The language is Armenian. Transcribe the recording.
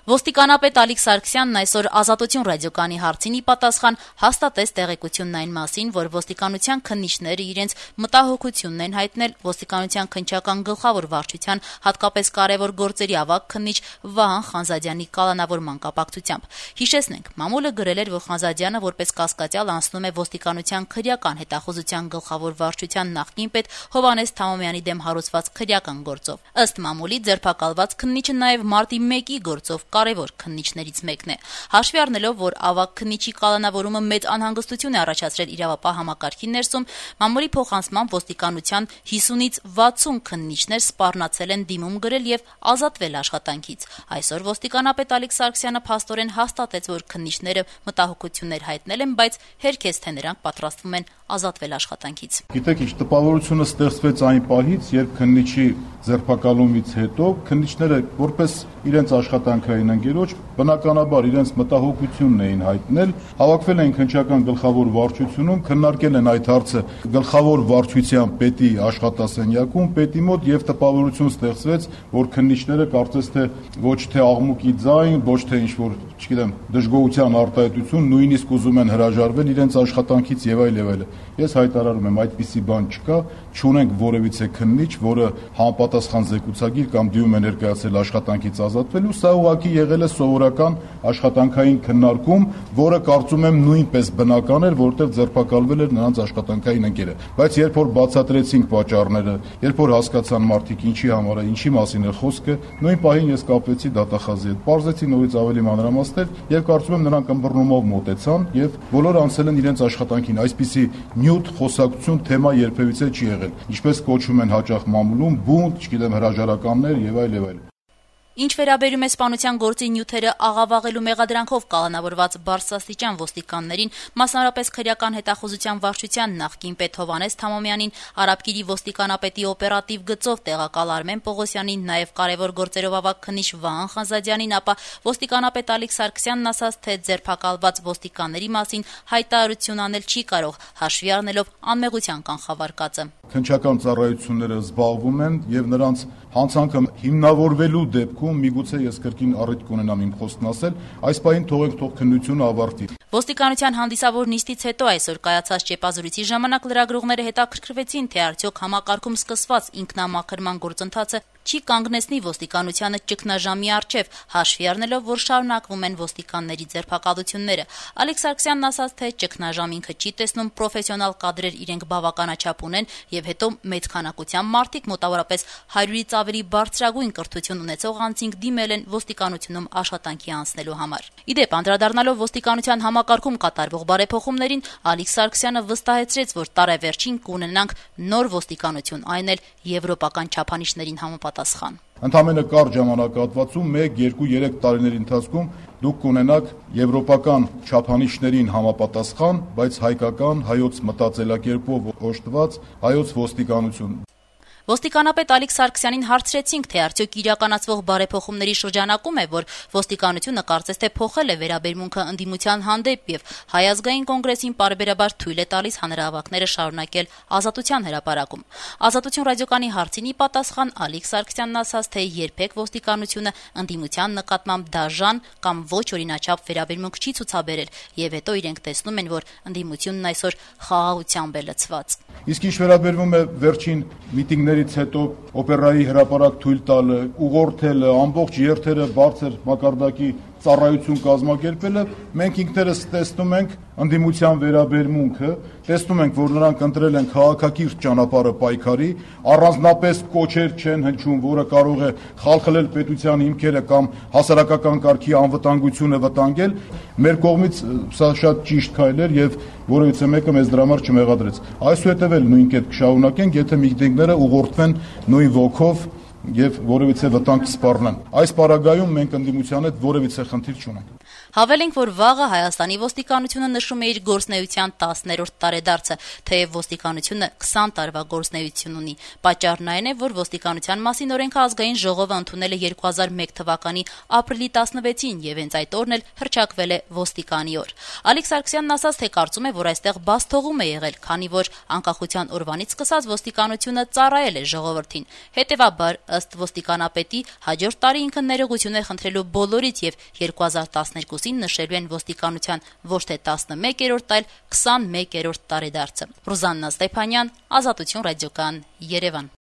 Ոստիկանապետ Ալիկ Սարգսյանն այսօր «Ազատություն» ռադիոկայանի հարցին ի պատասխան հաստատեց տեղեկությունն այն մասին, որ ոստիկանության քննիչները իրենց մտահոգությունն են հայտնել ոստիկանության քննչական գլխավոր վարչության հատկապես կարևոր գործերի ավագ քննիչ Վահան Խանզադյանի կալանավորման կապակցությամբ։ Հիշեցնենք, մամուլը գրել էր, որ Խանզադյանը որպես կասկածյալ անցնում է ոստիկանության քրեական հետախուզության գլխավոր վարչության նախկին պետ Հովհաննես Թամոմյանի դեմ հարուցված քրեական գործով։ Ըստ մամուլի ձերբակալված քննիչը նաև մարտի 1-ի գործով կարևոր քննիչներից մեկն է։ Հաշվի առնելով, որ ավագ քննիչի կալանավորումը մեծ անհանգստություն է առաջացրել իրավապահ համակարգի ներսում, մամուլի փոխանցմամբ ոստիկանության 50-ից 60 քննիչներ սպառնացել են դիմում գրել եւ ազատվել աշխատանքից։ Այսօր ոստիկանապետ Ալիկ Սարգսյանը փաստորեն հաստատեց, որ քննիչները մտահոգություններ հայտնել են, բայց հերքեց, թե նրանք պատրաստվում են ազատվել աշխատանքից։ Գիտեք, ինչ տպավորությունը ստեղծվեց այն պահից, երբ քննիչի ձերբակալումից հետո քննիչները որպես իրենց աշխատանքային ընկերոջ բնականաբար իրենց մտահոգությունն էին հայտնել, հավաքվել էին քննչական գլխավոր վարչությունում, քննարկել են այդ հարցը գլխավոր վարչության պետի աշխատասենյակում, պետի մոտ եւ տպավորություն ստեղծվեց, որ քննիչները կարծես թե ոչ թե աղմուկի ձայն, ոչ թե ինչ որ, չգիտեմ, դժգոհության արտահայտություն, նույնիսկ ուզում են հրաժարվել իրենց աշխատանքից եւ այլ եւ այլ։ Ես հայտարարում եմ, այդպիսի բան չկա, չունենք որևիցե քննիչ, որը համապատասխան զեկուցագիր կամ դիմում է ներկայացել աշխատանքից ազատվելու, սա ուղղակի եղել է սովորական աշխատանքային քննարկում, որը կարծում եմ նույնպես բնական էր, որտեղ ձերբակալվել էր նրանց աշխատանքային ընկերը։ Բայց երբ որ բացատրեցինք պատճառները, երբ որ հասկացան մարդիկ ինչի համար է, ինչի մասին է խոսքը, նույն պահին ես կապվեցի դատախազի հետ, պարզեցի նորից ավելի մանրամասներ եւ կարծում եմ նրանք ըմբռնումով մոտեցան եւ բոլորը անցել են իրենց աշխատանքին, այսպիսի նյութ խոսակցություն թեմա երբևիցե չի եղել, ինչպես կոչվում են հաճախ մամուլում, բունտ, չգիտեմ, հրաժարականներ եւ այլ եւ այլ։ Ինչ վերաբերում է սպանության գործի նյութերը աղավաղելու մեղադրանքով կալանավորված բարձրաստիճան ոստիկաններին, մասնավորապես քրեական հետախուզության վարչության նախկին պետ Հովհաննես Թամոմյանին, Արաբկիրի ոստիկանապետի օպերատիվ գծով տեղակալ Արմեն Պողոսյանին, նաև կարևոր գործերով ավագ քննիչ Վահան Խանզադյանին, ապա ոստիկանապետ Ալիկ Սարգսյանն ասաց, թե ձերբակալված ոստիկանների մասին հայտարարություն անել չի կարող, հաշվի առնելով անմեղության կանխավարկածը։ Քննչական ծառայությունները զբաղվում են եւ նրանց հանցանքը հիմնավորվելու դեպքում միգուցե ես կրկին առիթ կունենամ իմ խոսքն ասել, այս պահին թողենք քննությունը ավարտի։ Ոստիկանության հանդիսավոր նիստից հետո այսօր կայացած ճեպազրույցի ժամանակ լրագրողները հետաքրքրվեցին, թե արդյոք համակարգում սկսված ինքնամաքրման գործընթացը չի կանգնեցնի ոստիկանությանը ճգնաժամի առջև, հաշվի առնելով, որ շարունակվում են ոստիկանների ձերբակալությունները։ Ալիկ Սարգսյանն ասաց, թե ճգնաժամ ինքը չի տեսնում, պրոֆեսիոնալ կադրեր իրենք բավականաչափ ունեն եւ հետո մեծ քանակությամբ մարդիկ, մոտավորապես 100-ից ավելի բարձրագույն կրթություն ունեցող անձինք դիմել են ոստիկանությունում աշխատանքի անցնելու համար։ Իդեպ, անդրադառնալով ոստիկանության համակարգում կատարվող բարեփոխումներին, Ալիկ Սարգսյանը վստահեցրեց, որ տարեվերջին կունենանք նոր ոստիկանություն, այն էլ եվրոպական չափանիշներին համապատասխան։ Ընդամենը կարճ ժամանակահատվածում 1, 2, 3 տարիների ընթացքում դուք կունենաք եվրոպական չափանիշներին համապատասխան, բայց հայկական, հայոց մտածելակերպով օժտված հայոց ոստիկանություն։ Ոստիկանապետ Ալիկ Սարգսյանին հարցրեցինք, թե արդյոք իրականացվող բարեփոխումների շրջանակում է, որ ոստիկանությունը կարծես թե փոխել է վերաբերմունքը ընդդիմության հանդեպ եւ Հայ ազգային կոնգրեսին պարբերաբար թույլ է տալիս հանրահավաքները շարունակել Ազատության հրապարակում։ Ազատություն ռադիոկայանի հարցին ի պատասխան Ալիկ Սարգսյանն ասաց, թե երբեք ոստիկանությունը ընդդիմության նկատմամբ դաժան կամ ոչ օրինաչափ վերաբերմունք չի ցուցաբերել եւ հետո իրենք տեսնում են, որ ընդդիմությունն այսօր խաղաղությամբ է լցված։ Իսկ ինչ վերաբերվում է վերջին միտինգներից հետո օպերայի հրապարակ թույլ տալը, ուղղորդելը, ամբողջ երթերը բարձր մակարդակի ծառայություն կազմակերպելը, մենք ինքներս տեսնում ենք ընդդիմության վերաբերմունքը, տեսնում ենք, որ նրանք ընտրել են քաղաքակիրթ ճանապարհը պայքարի, առանձնապես կոչեր չեն հնչում, որը կարող է խալխլել պետության հիմքերը կամ հասարակական կարգի անվտանգությունը վտանգել։ Մեր կողմից սա շատ ճիշտ քայլ էր եւ որևիցե մեկը մեզ դրա համար չմեղադրեց։ Այսուհետև էլ նույն կերպ կշարունակենք, եթե միտինգները ուղղորդվեն նույն ոգով եւ որևիցե վտանգ սպառնան։ Այս պարագայում մենք ընդդիմության հետ որևիցե խնդիր չունենք։ Հավելենք, որ վաղը Հայաստանի ոստիկանությունը նշում է իր գործնեայության 10-րդ տարեդարձը, թեև ոստիկանությունը 20 տարվա գործնեայություն ունի։ Պատճառն այն է, որ ոստիկանության մասին օրենքը ազգային ժողովը ընդունել է 2001 թվականի ապրիլի 16-ին եւ հենց այդ օրն էլ հռչակվել է ոստիկանի օր։ Ալիկ Սարգսյանն ասաց, թե կարծում է, որ այստեղ բացթողում է եղել, քանի որ անկախության օրվանից սկսած ոստիկանությունը ծառայել է ժողովրդին։ Հետևաբար, ըստ ոստիկանապետի, հաջորդ տարի ինքը ներողություն է խնդրելու բոլորից եւ 2012-ին նշելու են ոստիկանության ոչ թե 11-րդ, այլ 21-րդ տարեդարձը։ Ռուզաննա Ստեփանյան, Ազատություն ռադիոկայան, Երևան։